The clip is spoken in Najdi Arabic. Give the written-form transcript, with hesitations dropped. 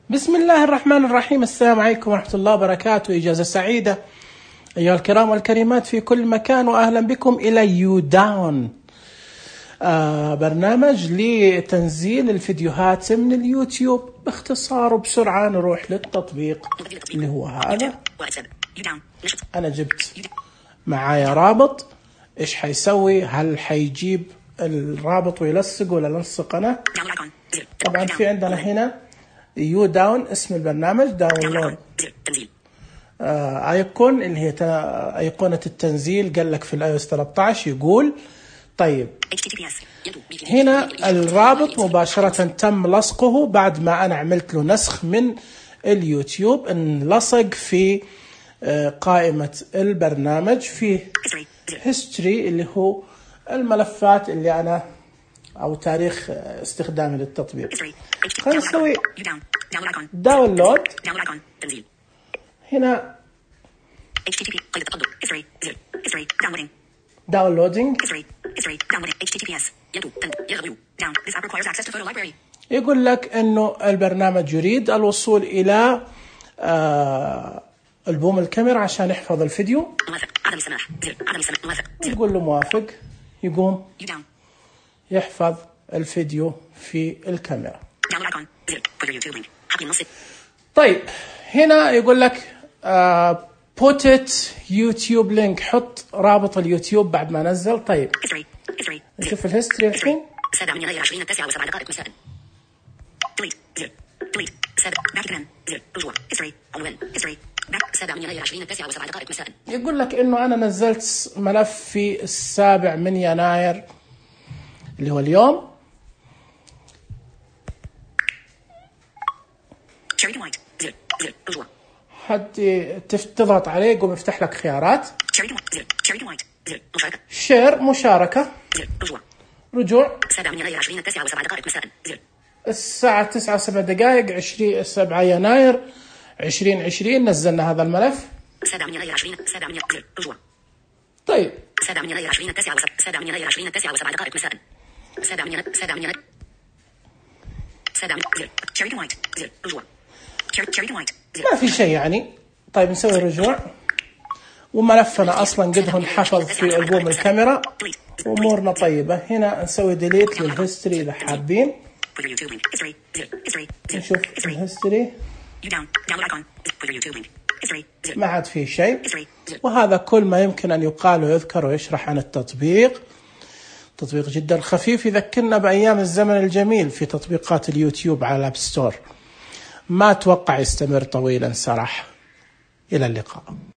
بسم الله الرحمن الرحيم. السلام عليكم ورحمة الله وبركاته. إجازة سعيدة أيها الكرام والكريمات في كل مكان، وأهلا بكم إلى يوداون، برنامج لتنزيل الفيديوهات من اليوتيوب باختصار وبسرعة. نروح للتطبيق اللي هو هذا. أنا جبت معايا رابط. إيش حيسوي؟ هل حيجيب الرابط ويلصق ولا لصق أنا؟ طبعا في عندنا هنا يوداون اسم البرنامج، داونلود ايقون اللي هي ايقونة التنزيل. قال لك في الاي اس 13 يقول طيب هنا الرابط مباشرة تم لصقه بعد ما انا عملت له نسخ من اليوتيوب، انلصق في قائمة البرنامج في هيستوري اللي هو الملفات اللي انا او تاريخ استخدامي للتطبيق. خلينا نسوي داونلود. هنا داونلودينج يقول لك انه البرنامج يريد الوصول الى ألبوم الكاميرا عشان يحفظ الفيديو. يقول له موافق، يقوم يحفظ الفيديو في الكاميرا. طيب هنا يقول لك put it YouTube link، حط رابط اليوتيوب بعد ما نزل. طيب نشوف الهيستوري الحين. 7/20/9 مساء. يقول لك انه انا نزلت ملف في 7 يناير اللي هو اليوم. حد تضغط عليه يقوم يفتح لك خيارات. شير مشاركة، رجوع 7 يناير 20/9 مساء. الساعة 9:07 7 يناير 2020 نزلنا هذا الملف. 7 يناير 7 رجوع. طيب 7 يناير 20/9 مساء. 7 يناير رجوع. ما في شيء يعني. طيب نسوي رجوع، وملفنا اصلا قد انحفظ في ألبوم الكاميرا، امورنا طيبة. هنا نسوي ديليت للهيستوري اذا حابين. نشوف الهيستوري ما عاد فيه شيء. وهذا كل ما يمكن ان يقال ويذكر ويشرح عن التطبيق. تطبيق جدا خفيف يذكرنا بايام الزمن الجميل في تطبيقات اليوتيوب على الاب ستور. ما اتوقع يستمر طويلا صراحة. الى اللقاء.